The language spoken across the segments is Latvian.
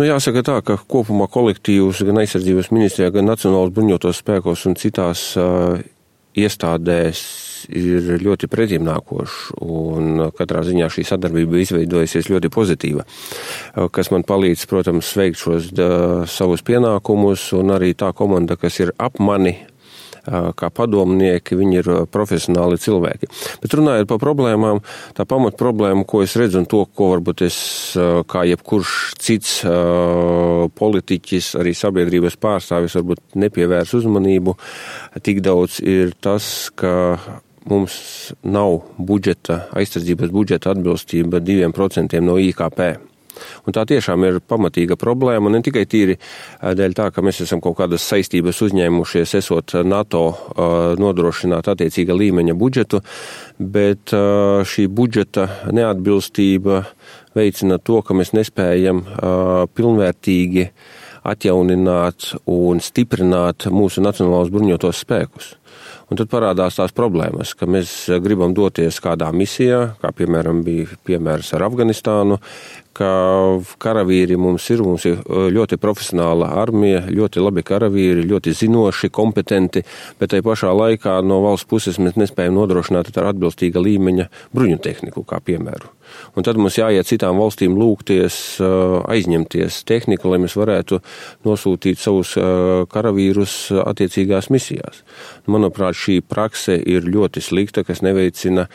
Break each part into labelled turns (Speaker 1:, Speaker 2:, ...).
Speaker 1: Jāsaka tā, ka kopumā kolektīvus gan aizsardzības ministrijā, gan Nacionālajos bruņotos spēkos un citās iestādēs ir ļoti pretimnākoši, un katrā ziņā šī sadarbība izveidojusies ļoti pozitīva, kas man palīdz, protams, veikt šos savus pienākumus, un arī tā komanda, kas ir ap mani, kā padomnieki, viņi ir profesionāli cilvēki. Bet runājot par problēmām, tā pamat problēma, ko es redzu un to, ko varbūt es, kā jebkurš cits politiķis, arī sabiedrības pārstāvis varbūt nepievērs uzmanību, tik daudz ir tas, ka mums nav aizsardzības budžeta atbilstība 2% no IKP. Un tā tiešām ir pamatīga problēma, ne tikai tīri dēļ tā, ka mēs esam kaut kādas saistības uzņēmušies, esot NATO nodrošināt attiecīga līmeņa budžetu, bet šī budžeta neatbilstība veicina to, ka mēs nespējam pilnvērtīgi atjaunināt un stiprināt mūsu nacionālos bruņotos spēkus. Un tad parādās tās problēmas, ka mēs gribam doties kādā misijā, kā piemēram bija piemērs ar Afganistānu, ka karavīri mums ir ļoti profesionāla armija, ļoti labi karavīri, ļoti zinoši, kompetenti, bet tai pašā laikā no valsts puses mēs nespējam nodrošināt ar atbilstīga līmeņa bruņu tehniku, kā piemēru. Un tad mums jāiet citām valstīm lūgties, aizņemties tehniku, lai mēs varētu nosūtīt savus karavīrus attiecīgās misijās. Manuprāt, šī prakse ir ļoti slikta, kas neveicina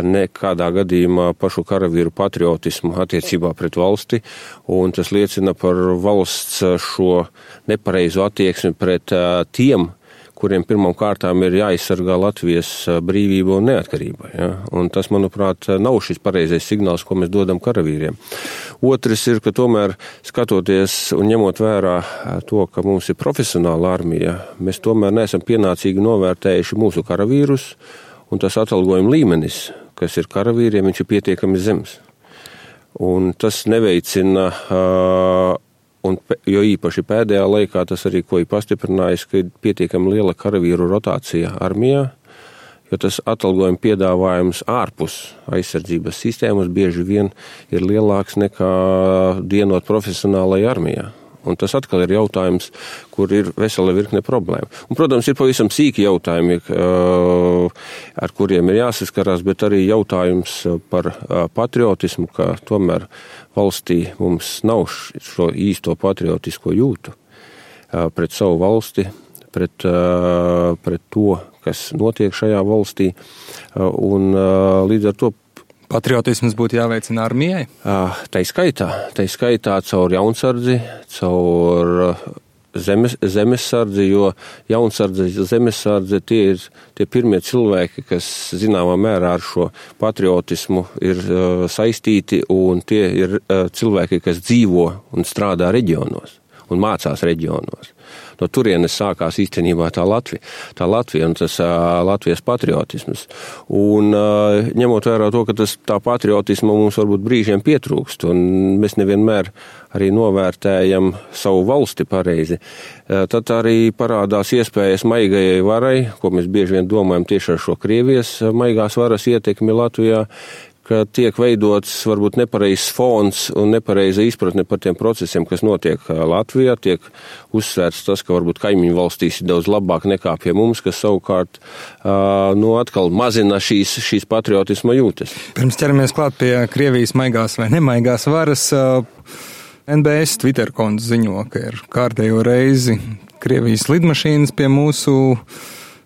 Speaker 1: nekādā gadījumā pašu karavīru patriotismu attiecībā pret valsti, un tas liecina par valsts šo nepareizo attieksmi pret tiem, kuriem pirmām kārtām ir jāaizsargā Latvijas brīvība un neatkarība. Ja? Un tas, manuprāt, nav šis pareizais signāls, ko mēs dodam karavīriem. Otrs ir, ka tomēr skatoties un ņemot vērā to, ka mums ir profesionāla armija, mēs tomēr neesam pienācīgi novērtējuši mūsu karavīrus, un tas atalgojuma līmenis, kas ir karavīriem, viņš ir pietiekami zems. Un tas neveicina jo īpaši pēdējā laikā tas arī, ko ir pastiprinājis, ka ir pietiekami liela karavīru rotācija armijā, jo tas atalgojuma piedāvājums ārpus aizsardzības sistēmas bieži vien ir lielāks nekā dienot profesionālai armijā. Un tas atkal ir jautājums, kur ir vesela virkne problēma. Un, protams, ir pavisam sīki jautājumi, ar kuriem ir jāsaskarās, bet arī jautājums par patriotismu, ka tomēr valstī mums nav šo īsto patriotisko jūtu pret savu valsti, pret to, kas notiek šajā valstī. Un līdz ar to
Speaker 2: patriotisms būtu jāveicina armijai?
Speaker 1: Tai skaitā caur jaunsardzi, caur zemesardzi, jo jaunsardze, zemesardze tie ir tie pirmie cilvēki, kas zināmā mērā ar šo patriotismu ir saistīti, un tie ir cilvēki, kas dzīvo un strādā reģionos un mācās reģionos. No turienes sākās īstenībā tā Latvija un tas Latvijas patriotisms. Un ņemot vērā to, ka tā patriotisma mums varbūt brīžiem pietrūkst, un mēs nevienmēr arī novērtējam savu valsti pareizi, tad arī parādās iespējas maigajai varai, ko mēs bieži vien domājam tieši ar šo Krievijas maigās varas ietekmi Latvijā, ka tiek veidots varbūt nepareizs fons un nepareiza izpratne par tiem procesiem, kas notiek Latvijā, tiek uzsvērts tas, ka varbūt kaimiņu valstīs ir daudz labāk nekā pie mums, kas savukārt atkal mazina šīs patriotisma jūtas.
Speaker 2: Pirms ķeramies klāt pie Krievijas maigās vai nemaigās varas, NBS Twitter konts ziņo, ka ir kārtējo reizi Krievijas lidmašīnas pie mūsu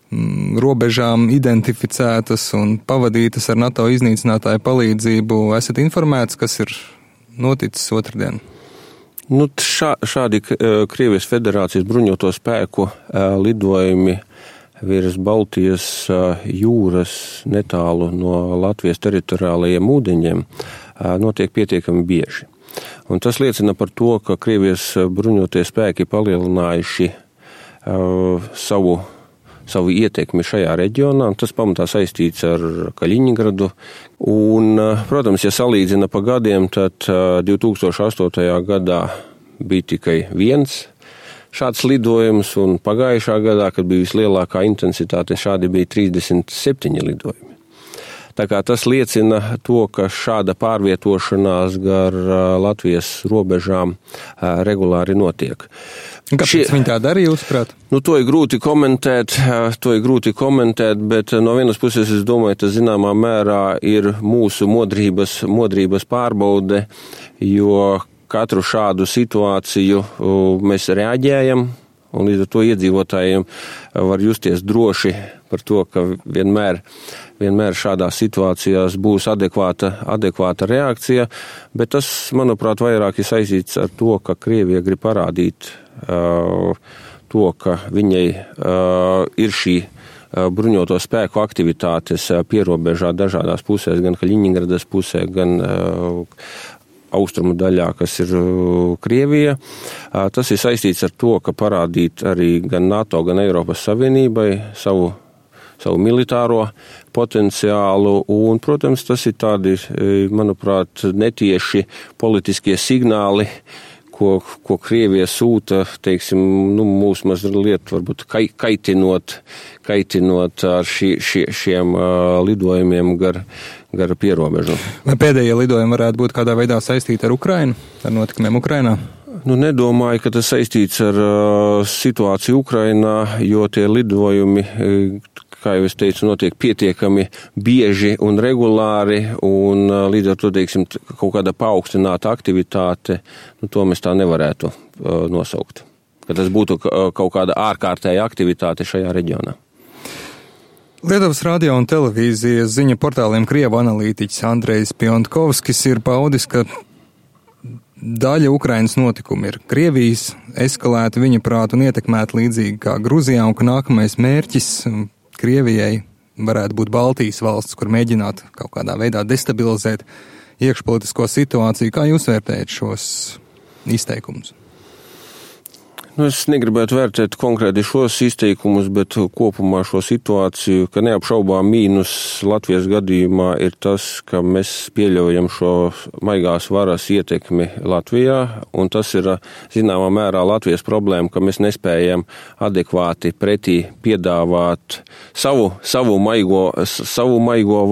Speaker 2: robežām identificētas un pavadītas ar NATO iznīcinātāju palīdzību. Esat informēts, kas ir noticis otrdien?
Speaker 1: Šādi Krievijas Federācijas bruņoto spēku lidojumi virs Baltijas jūras netālu no Latvijas teritoriālajiem ūdeņiem notiek pietiekami bieži. Un tas liecina par to, ka Krievijas bruņotie spēki palielinājuši savu ietekmi šajā reģionā, un tas pamatā saistīts ar Kaļiņingradu. Un, protams, ja salīdzina pa gadiem, tad 2008. gadā bija tikai viens šāds lidojums, un pagājušā gadā, kad bija vislielākā intensitāte, šādi bija 37 lidojumi. Tā kā tas liecina to, ka šāda pārvietošanās gar Latvijas robežām regulāri notiek.
Speaker 2: Kāpēc viņi tā darīja, jūsuprāt?
Speaker 1: To ir grūti komentēt, bet no vienas puses es domāju, tas zināmā mērā ir mūsu modrības pārbaude, jo katru šādu situāciju mēs reaģējam, un līdz ar to iedzīvotājiem var justies droši par to, ka vienmēr šādās situācijās būs adekvāta reakcija, bet tas, manuprāt, vairāk ir saistīts ar to, ka Krievija grib parādīt to, ka viņai ir šī bruņoto spēku aktivitātes pierobežā dažādās pusēs, gan Kaļiņingradas pusē, gan austrumu daļā, kas ir Krievija. Tas ir saistīts ar to, ka parādīt arī gan NATO, gan Eiropas Savienībai savu militāro potenciālu, un, protams, tas ir tādi, manuprāt, netieši politiskie signāli, ko Krievija sūta, teiksim, mūs mazliet varbūt kaitinot ar šiem lidojumiem gar pierobežu.
Speaker 2: Vai pēdējie lidojumi varētu būt kādā veidā saistīti ar Ukrainu, ar notikumiem Ukrainā?
Speaker 1: Nedomāju, ka tas saistīts ar situāciju Ukrainā, jo tie lidojumi, kā jau es teicu, notiek pietiekami bieži un regulāri, un līdz ar to, teiksim, kaut kāda paaugstināta aktivitāte, to mēs tā nevarētu nosaukt. Ka tas būtu kaut kāda ārkārtēja aktivitāte šajā reģionā.
Speaker 2: Lietuvas radio un televīzijas ziņu portāliem Krievu analītiķis Andrejs Piontkovskis ir paudis, ka daļa Ukrainas notikumi ir Krievijas eskalēti, viņa prāt, un ietekmēti līdzīgi kā Gruzijā, un ka nākamais mērķis Krievijai varētu būt Baltijas valsts, kur mēģināt kaut kādā veidā destabilizēt iekšpolitisko situāciju. Kā jūs vērtējat šos izteikumus?
Speaker 1: Es negribētu vērtēt konkrēti šos izteikumus, bet kopumā šo situāciju, ka neapšaubām mīnus Latvijas gadījumā ir tas, ka mēs pieļaujam šo maigās varas ietekmi Latvijā, un tas ir zināmā mērā Latvijas problēma, ka mēs nespējam adekvāti pretī piedāvāt savu maigo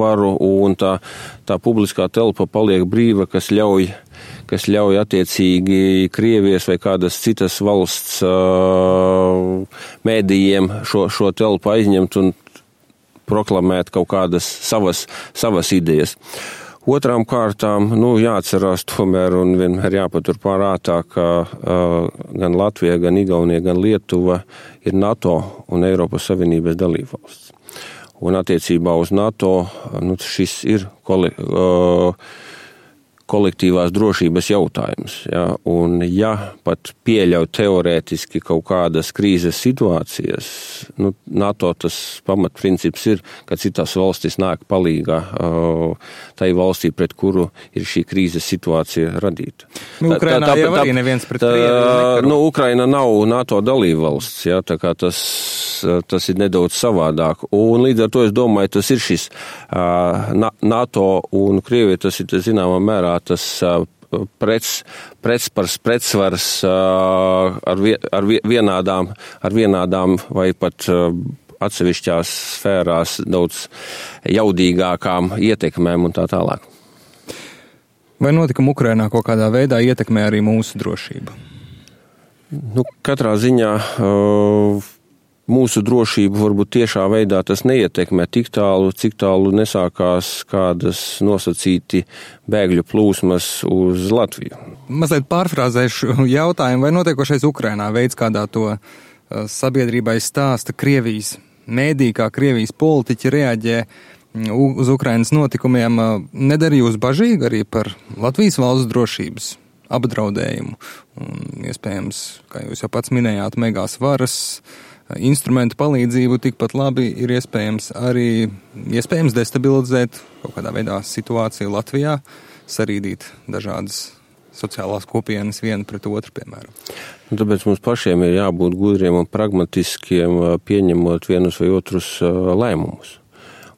Speaker 1: varu, un tā publiskā telpa paliek brīva, kas ļauj attiecīgi Krievijas vai kādas citas valsts mēdījiem šo telpu aizņemt un proklamēt kaut kādas savas idejas. Otrām kārtām, jāatcerās tomēr un vienmēr jāpatur prātā, ka gan Latvija, gan Igaunija, gan Lietuva ir NATO un Eiropas Savienības dalībvalsts. Un attiecībā uz NATO, šis ir kolektīvās drošības jautājums. Ja? Un pat pieļauj teorētiski kaut kādas krīzes situācijas, NATO tas pamatprincips ir, ka citas valstis nāk palīgā tai valstī, pret kuru ir šī krīzes situācija radīta.
Speaker 2: Ukrainā jau arī neviens pret Krieviju.
Speaker 1: Ukraina nav NATO dalībvalsts, ja? Tā kā tas ir nedaudz savādāk. Un līdz ar to es domāju, tas ir šis NATO un Krievija, tas ir zināmā mērā tas pretsvars ar vienādām vai pat atsevišķās sfērās daudz jaudīgākām ietekmēm un tā tālāk.
Speaker 2: Vai notikumi Ukrainā kaut kādā veidā ietekmē arī mūsu drošību?
Speaker 1: Katrā ziņā mūsu drošību varbūt tiešā veidā tas neietekmē tik tālu, cik tālu nesākās kādas nosacīti bēgļu plūsmas uz Latviju.
Speaker 2: Mazliet pārfrāzēšu jautājumu, vai notiekošais Ukrainā veids, kādā to sabiedrībai stāsta Krievijas mēdī, kā Krievijas politiķi reaģē uz Ukrainas notikumiem, nedara jūs bažīgi arī par Latvijas valsts drošības apdraudējumu? Un, iespējams, kā jūs jau pats minējāt, megās varas instrumentu palīdzību tikpat labi ir iespējams destabilizēt kaut kādā veidā situāciju Latvijā, sarīdīt dažādas sociālās kopienas viena pret otru, piemēram.
Speaker 1: Tāpēc mums pašiem ir jābūt gudriem un pragmatiskiem, pieņemot vienus vai otrus lēmumus.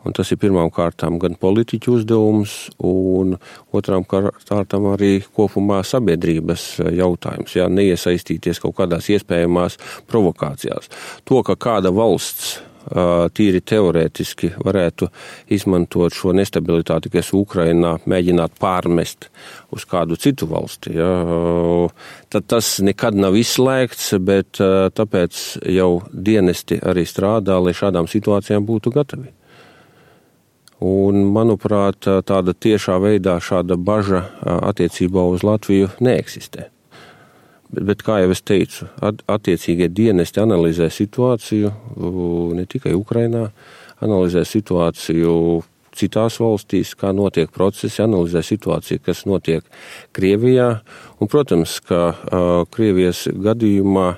Speaker 1: Un tas ir pirmām kārtām gan politiķu uzdevums, un otrām kārtām arī kopumā sabiedrības jautājums, neiesaistīties kaut kādās iespējamās provokācijās. To, ka kāda valsts tīri teorētiski varētu izmantot šo nestabilitāti, kas Ukrainā mēģināt pārmest uz kādu citu valsti. Tad tas nekad nav izslēgts, bet tāpēc jau dienesti arī strādā, lai šādām situācijām būtu gatavi. Un, manuprāt, tāda tiešā veidā šāda baža attiecībā uz Latviju neeksistē. Bet, kā jau es teicu, attiecīgie dienesti analizē situāciju ne tikai Ukrainā, analizē situāciju citās valstīs, kā notiek procesi, analizē situāciju, kas notiek Krievijā. Un, protams, ka Krievijas gadījumā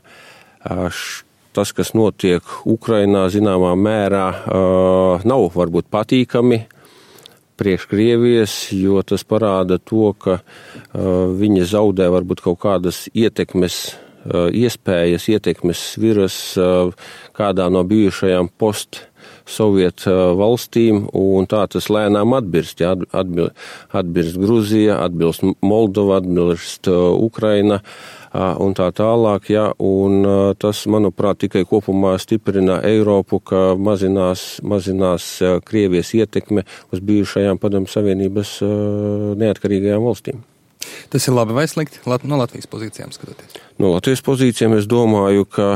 Speaker 1: tas, kas notiek Ukrainā, zināmā mērā nav varbūt patīkami priekš Krievijas, jo tas parāda to, ka viņi zaudē varbūt kaut kādas ietekmes sviras kādā no bijušajām post-sovietu valstīm, un tā tas lēnām atbirst. Atbirst Gruzija, atbilst Moldova, atbilst Ukraina un tā tālāk, un tas, manuprāt, tikai kopumā stiprina Eiropu, ka mazinās Krievijas ietekme uz bijušajām Padomju Savienības neatkarīgajām valstīm.
Speaker 2: Tas ir labi vai slikti no Latvijas pozīcijām skatoties?
Speaker 1: No Latvijas pozīcijām es domāju, ka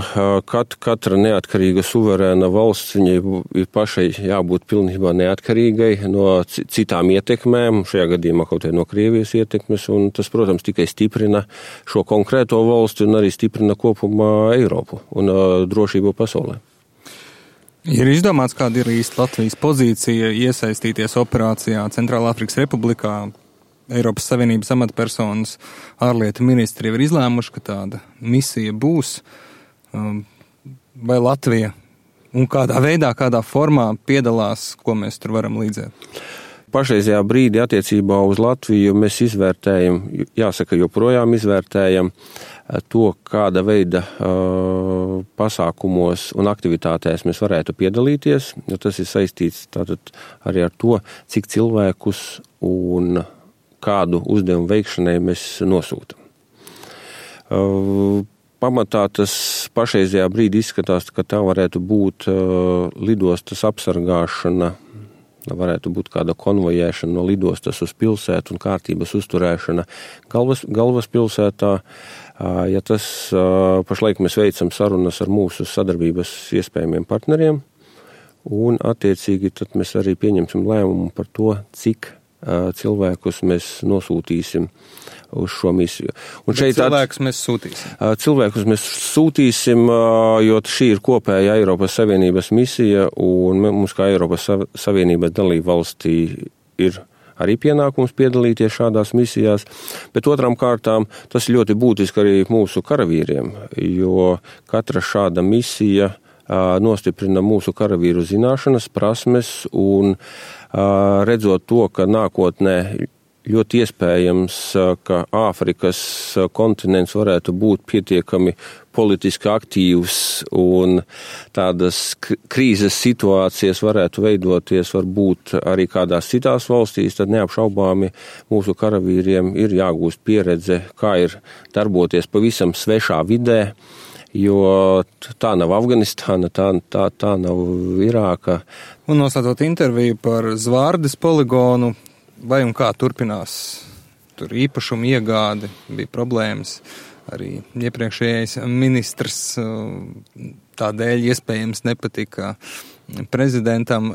Speaker 1: katra neatkarīga suverēna valsts, viņai ir pašai jābūt pilnībā neatkarīgai no citām ietekmēm, šajā gadījumā kaut no Krievijas ietekmes, un tas, protams, tikai stiprina šo konkrēto valsti un arī stiprina kopumā Eiropu un drošību pasaulē.
Speaker 2: Ir izdomāts, kāda ir īsti Latvijas pozīcija iesaistīties operācijā Centrālāfrikas Republikā? Eiropas Savienības amatpersonas ārlietu ministri jau ir izlēmuši, ka tāda misija būs. Vai Latvija un kādā veidā, kādā formā piedalās, ko mēs tur varam līdzēt?
Speaker 1: Pašreizajā brīdī attiecībā uz Latviju mēs izvērtējam, jāsaka, joprojām izvērtējam to, kāda veida pasākumos un aktivitātēs mēs varētu piedalīties. Tas ir saistīts tātad arī ar to, cik cilvēkus un kādu uzdevumu veikšanai mēs nosūtam. Pamatā tas pašreizajā brīdī izskatās, ka tā varētu būt lidostas apsargāšana, varētu būt kāda konvojēšana no lidostas uz pilsētu un kārtības uzturēšana galvaspilsētā. Ja tas pašlaik mēs veicam sarunas ar mūsu sadarbības iespējamiem partneriem, un attiecīgi tad mēs arī pieņemsim lēmumu par to, cik cilvēkus mēs nosūtīsim uz šo misiju. Un
Speaker 2: cilvēkus mēs sūtīsim?
Speaker 1: Cilvēkus mēs sūtīsim, jo šī ir kopēja Eiropas Savienības misija, un mums kā Eiropas Savienības dalība valstī ir arī pienākums piedalīties šādās misijās, bet otrām kārtām tas ļoti būtiski arī mūsu karavīriem, jo katra šāda misija nostiprina mūsu karavīru zināšanas, prasmes un redzot to, ka nākotnē ļoti iespējams, ka Āfrikas kontinents varētu būt pietiekami politiski aktīvs un tādas krīzes situācijas varētu veidoties varbūt arī kādās citās valstīs, tad neapšaubāmi mūsu karavīriem ir jāgūst pieredze, kā ir darboties pavisam svešā vidē, jo tā nav Afganistāna, tā nav Irāka.
Speaker 2: Un noslēdzot interviju par Zvārdes poligonu, vai un kā turpinās tur īpašumu iegādi, bija problēmas. Arī iepriekšējais ministrs tādēļ iespējams nepatika prezidentam.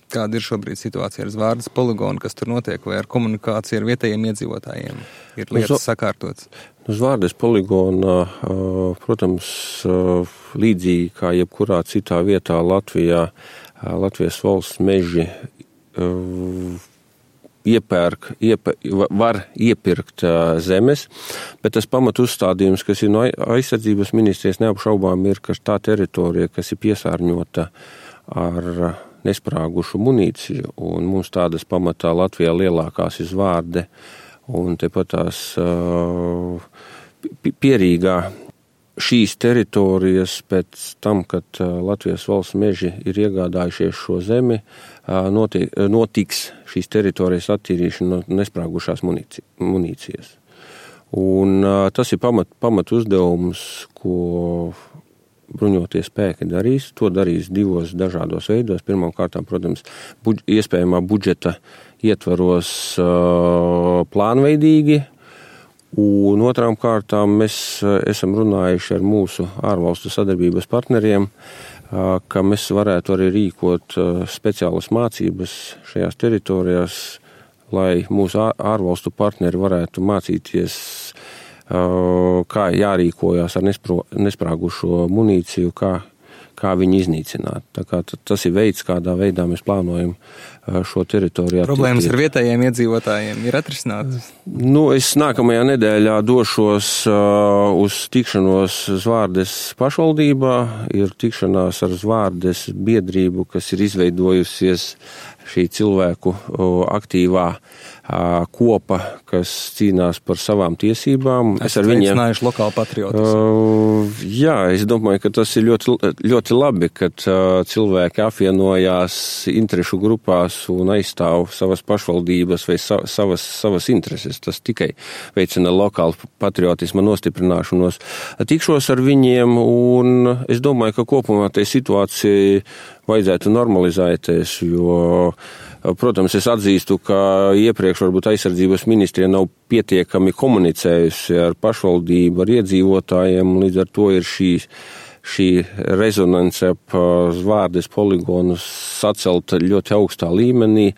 Speaker 2: Kāda ir šobrīd situācija ar Zvārdes poligonu, kas tur notiek, vai ar komunikāciju ar vietējiem iedzīvotājiem? Ir lietas sakārtotas?
Speaker 1: Zvārdes poligona, protams, līdzīgi kā jebkurā citā vietā Latvijā, Latvijas valsts meži var iepirkt zemes, bet tas pamat uzstādījums, kas ir no aizsardzības ministrijas neapšaubām, ir, ka tā teritorija, kas ir piesārņota ar nesprāgušu munīciju, un mums tādas pamatā Latvijā lielākās ir Zvārde, un tepat tās Pierīgā šīs teritorijas pēc tam, kad Latvijas valsts meži ir iegādājušies šo zemi, notiks šīs teritorijas attīrīšana no nesprāgušās munīcijas. Un tas ir pamat uzdevums, ko bruņotie spēki darīs. To darīs divos dažādos veidos. Pirmkārt, protams, iespējamā budžeta ietvaros plānveidīgi, un otrām kārtām mēs esam runājuši ar mūsu ārvalstu sadarbības partneriem, ka mēs varētu arī rīkot speciālas mācības šajās teritorijās, lai mūsu ārvalstu partneri varētu mācīties, kā jārīkojās ar nesprāgušo munīciju, kā viņu iznīcināt. Tā kā tas ir veids, kādā veidā mēs plānojam šo teritoriju attīstīt.
Speaker 2: Problēmas ar vietējiem iedzīvotājiem ir atrisinātas?
Speaker 1: Es nākamajā nedēļā došos uz tikšanos Zvārdes pašvaldībā. Ir tikšanās ar Zvārdes biedrību, kas ir izveidojusies šī cilvēku aktīvā kopa, kas cīnās par savām tiesībām.
Speaker 2: Es ar viņiem veicinājuši lokālu patriotismu.
Speaker 1: Jā, es domāju, ka tas ir ļoti, ļoti labi, kad cilvēki apvienojās interešu grupās un aizstāv savas pašvaldības vai savas intereses. Tas tikai veicina lokālu patriotismu nostiprināšanos. Tikšos ar viņiem, un es domāju, ka kopumā tai situācija vajadzētu normalizēties, jo, protams, es atzīstu, ka iepriekš varbūt aizsardzības ministrija nav pietiekami komunicējusi ar pašvaldību, ar iedzīvotājiem, līdz ar to ir šī rezonance ap Zvārdes poligonu sacelt ļoti augstā līmenī,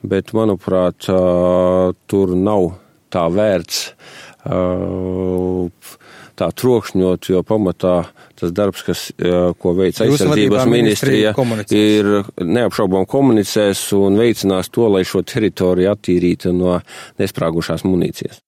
Speaker 1: bet, manuprāt, tur nav tā vērts tā trokšņot, jo pamatā tas darbs, ko veic aizsardzības ministrija, ir neapšaubām komunicēs un veicinās to, lai šo teritoriju attīrītu no nesprāgušās munīcijas.